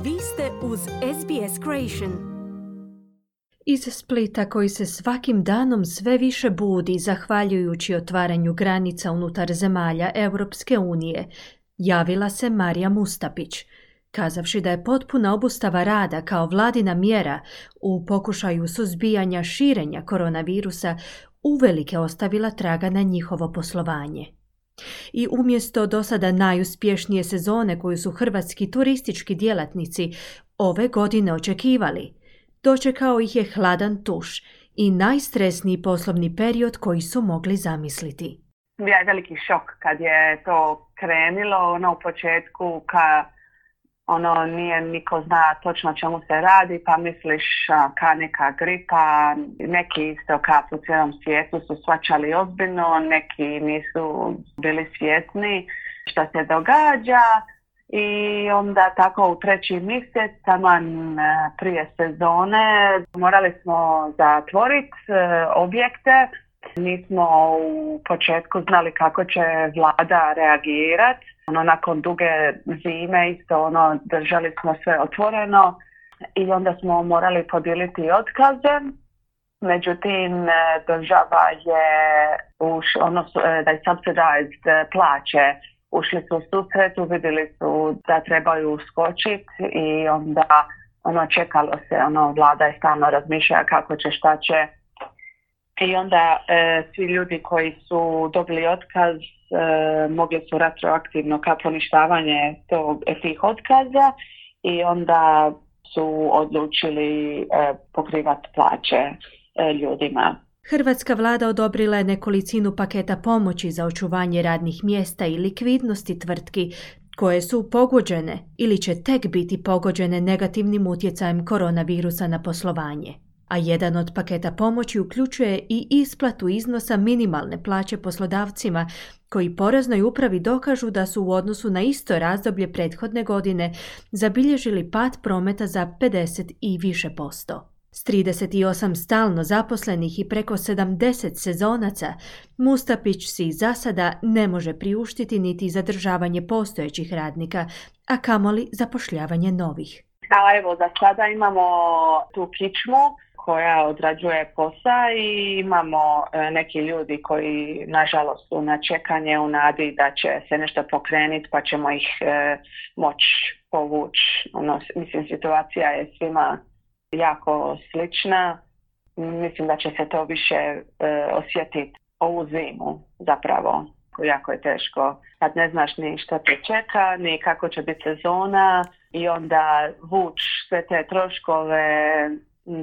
Vi ste uz SBS Creation. Iz Splita, koji se svakim danom sve više budi zahvaljujući otvaranju granica unutar zemalja Europske unije, javila se Marija Mustapić, kazavši da je potpuna obustava rada kao vladina mjera u pokušaju suzbijanja širenja koronavirusa uvelike ostavila traga na njihovo poslovanje. I umjesto dosada najuspješnije sezone koju su hrvatski turistički djelatnici ove godine očekivali, dočekao ih je hladan tuš i najstresniji poslovni period koji su mogli zamisliti. Bio je veliki šok kad je to krenilo, u početku nije niko zna točno čemu se radi, pa misliš ka neka gripa, neki isto po cijelom svijetu su shvaćali ozbiljno, neki nisu bili svjesni što se događa. I onda tako u 3. mjesec, taman prije sezone, morali smo zatvoriti objekte. Nismo u početku znali kako će vlada reagirati. Nakon duge zime isto držali smo sve otvoreno i onda smo morali podijeliti otkaze. Međutim, država je da je subsidized plaće. Ušli su u susretu, vidjeli su da trebaju uskočiti i onda čekalo se, vlada je stalno razmišljala kako će, šta će. I onda svi ljudi koji su dobili otkaz mogli su retroaktivno kao poništavanje tih otkaza i onda su odlučili pokrivati plaće ljudima. Hrvatska vlada odobrila je nekolicinu paketa pomoći za očuvanje radnih mjesta i likvidnosti tvrtki koje su pogođene ili će tek biti pogođene negativnim utjecajem koronavirusa na poslovanje. A jedan od paketa pomoći uključuje i isplatu iznosa minimalne plaće poslodavcima koji Poreznoj upravi dokažu da su u odnosu na isto razdoblje prethodne godine zabilježili pad prometa za 50 i više posto. S 38 stalno zaposlenih i preko 70 sezonaca, Mustapić si za sada ne može priuštiti niti zadržavanje postojećih radnika, a kamoli zapošljavanje novih. Evo, za sada imamo tu kičmu koja odrađuje posao i imamo neki ljudi koji nažalost su na čekanje u nadi da će se nešto pokrenuti pa ćemo ih moći povući. Situacija je svima jako slična. Mislim da će se to više osjetiti ovu zimu zapravo. Jako je teško kad ne znaš ni što te čeka, ni kako će biti sezona i onda vući sve te troškove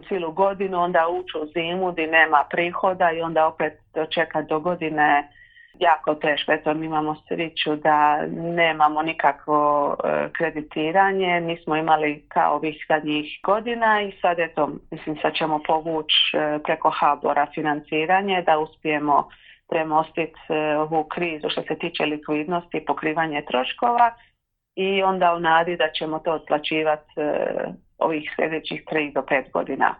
cijelu godinu, onda ući u zimu gdje nema prihoda i onda opet dočekati do godine jako teško. Eto, mi imamo sreću da nemamo nikakvo kreditiranje, nismo imali kao ovih zadnjih godina i sad sad ćemo povući preko HBOR-a financiranje da uspijemo premostiti ovu krizu što se tiče likvidnosti i pokrivanje troškova i onda u nadi da ćemo to otplaćivati ovih sljedećih 3 do 5 godina.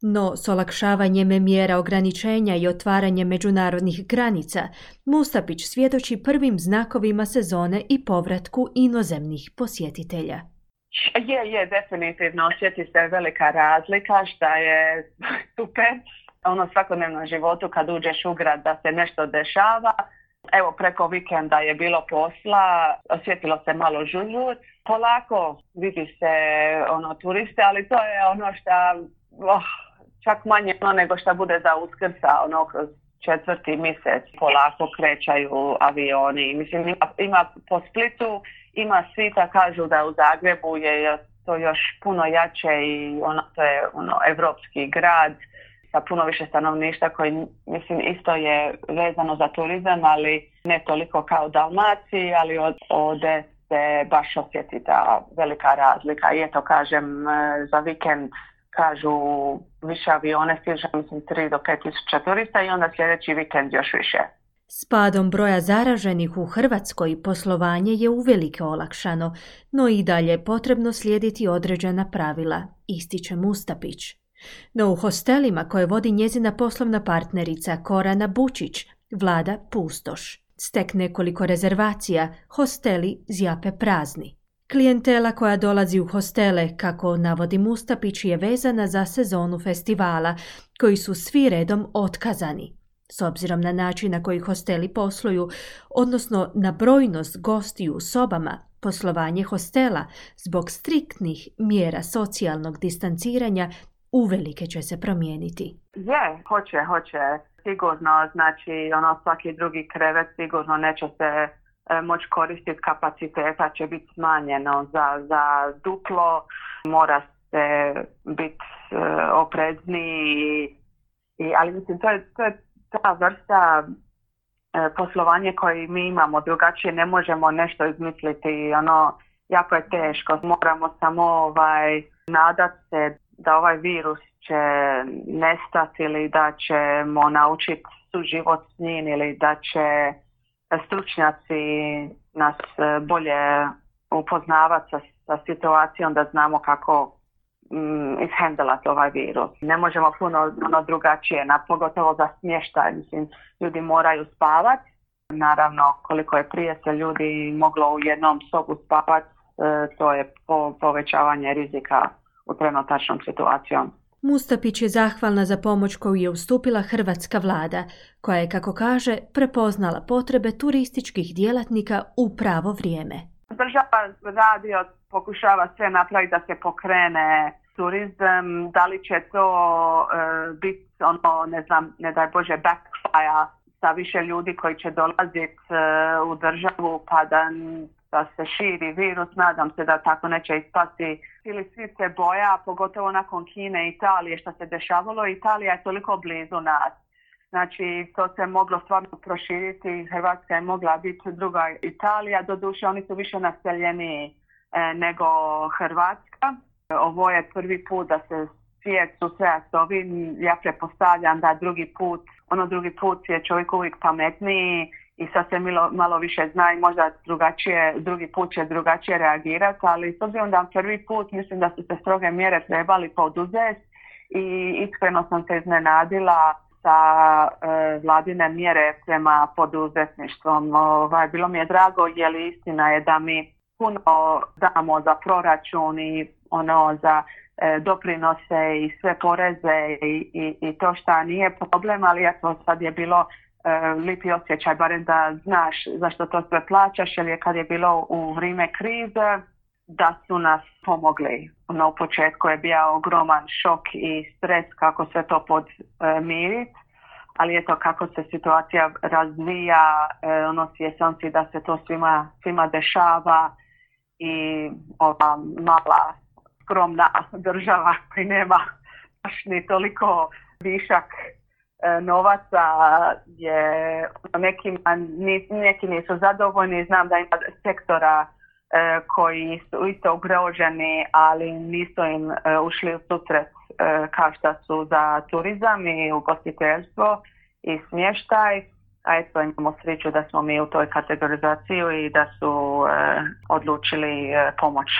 No, s olakšavanjem mjera ograničenja i otvaranjem međunarodnih granica, Mustapić svjedoči prvim znakovima sezone i povratku inozemnih posjetitelja. Je, definitivno osjeti se velika razlika, što je super. Svakodnevnom životu kad uđeš u grad da se nešto dešava. Evo, preko vikenda je bilo posla, osjetilo se malo žužut. Polako vidi se turiste, ali to je što čak manje nego što bude za Uskrsa, kroz 4. mjesec polako krećaju avioni. Mislim, ima po Splitu, ima svita, kažu da u Zagrebu je to još puno jače i to je evropski grad sa puno više stanovništva koji, mislim, isto je vezano za turizam, ali ne toliko kao Dalmaciji, ali ovdje se baš osjeti ta velika razlika. I eto, kažem, za vikend kažu više avione stiže, mislim, 3 do 5 tisuća turista i onda sljedeći vikend još više. S padom broja zaraženih u Hrvatskoj poslovanje je uvelike olakšano, no i dalje je potrebno slijediti određena pravila, ističe Mustapić. No u hostelima koje vodi njezina poslovna partnerica Korana Bučić vlada pustoš. S tek nekoliko rezervacija hosteli zjape prazni. Klijentela koja dolazi u hostele, kako navodi Mustapić, je vezana za sezonu festivala, koji su svi redom otkazani. S obzirom na način na koji hosteli posluju, odnosno na brojnost gostiju u sobama, poslovanje hostela zbog striktnih mjera socijalnog distanciranja uvelike će se promijeniti. Hoće. Sigurno, znači svaki drugi krevet sigurno neće se moći koristiti, kapaciteta će biti smanjeno za duplo, mora se biti oprezniji, ali mislim to je ta vrsta poslovanje koje mi imamo, drugačije ne možemo nešto izmisliti, jako je teško. Moramo samo nadati se da ovaj virus će nestati ili da ćemo naučiti suživot s njim ili da će stručnjaci nas bolje upoznavati sa situacijom da znamo kako ishendlati ovaj virus. Ne možemo puno drugačije, pogotovo za smještaj. Mislim, ljudi moraju spavati. Naravno, koliko je prije se ljudi moglo u jednom sobu spavati, to je povećavanje rizika u trenutačnom situacijom. Mustapić je zahvalna za pomoć koju je ustupila hrvatska vlada, koja je, kako kaže, prepoznala potrebe turističkih djelatnika u pravo vrijeme. Država radi, pokušava sve napraviti da se pokrene turizam. Da li će to biti ne daj Bože backfire sa više ljudi koji će dolaziti u državu pa da se širi virus, nadam se da tako neće ispasti. Ili svi se boja, pogotovo nakon Kine i Italije što se dešavalo. Italija je toliko blizu nas. Znači, to se moglo stvarno proširiti. Hrvatska je mogla biti druga Italija. Doduše, oni su više naseljeni nego Hrvatska. Ovo je prvi put da se svijet susreta s ovim. Ja pretpostavljam da drugi put je čovjek uvijek pametniji i sad se malo više zna i možda drugi put će drugačije reagirati, ali s obzirom da prvi put mislim da su se stroge mjere trebali poduzeti i iskreno sam se iznenadila sa vladine mjere prema poduzetništvom. Bilo mi je drago, jer istina je da mi puno damo za proračun i za doprinose i sve poreze i to šta nije problem, ali eto sad je bilo lipi osjećaj, barem da znaš zašto to sve plaćaš, jer je kad je bilo u vrijeme krize da su nas pomogli. U početku je bio ogroman šok i stres kako se to podmiriti, ali eto kako se situacija razvija, svjestan si da se to svima dešava i ova mala skromna država koji nema baš ni toliko višak novaca je neki nisu zadovoljni. Znam da ima sektora koji su isto ugroženi, ali nisu im ušli u susret kao što su za turizam i ugostiteljstvo i smještaj. A eto, imamo sreću da smo mi u toj kategorizaciji i da su odlučili pomoći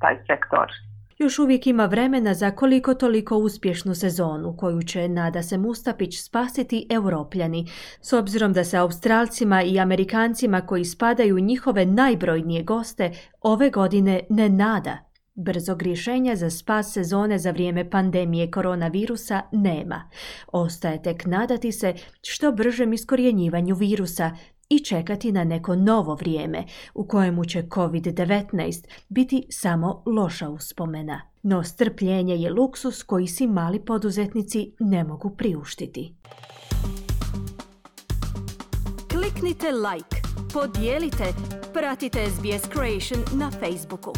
taj sektor. Još uvijek ima vremena za koliko toliko uspješnu sezonu koju će, nada se Mustapić, spasiti Europljani, s obzirom da se Australcima i Amerikancima koji spadaju u njihove najbrojnije goste ove godine ne nada. Brzog rješenja za spas sezone za vrijeme pandemije koronavirusa nema. Ostaje tek nadati se što bržem iskorjenjivanju virusa i čekati na neko novo vrijeme u kojemu će COVID-19 biti samo loša uspomena. No strpljenje je luksus koji si mali poduzetnici ne mogu priuštiti. Kliknite like, podijelite, pratite SBS Creation na Facebooku.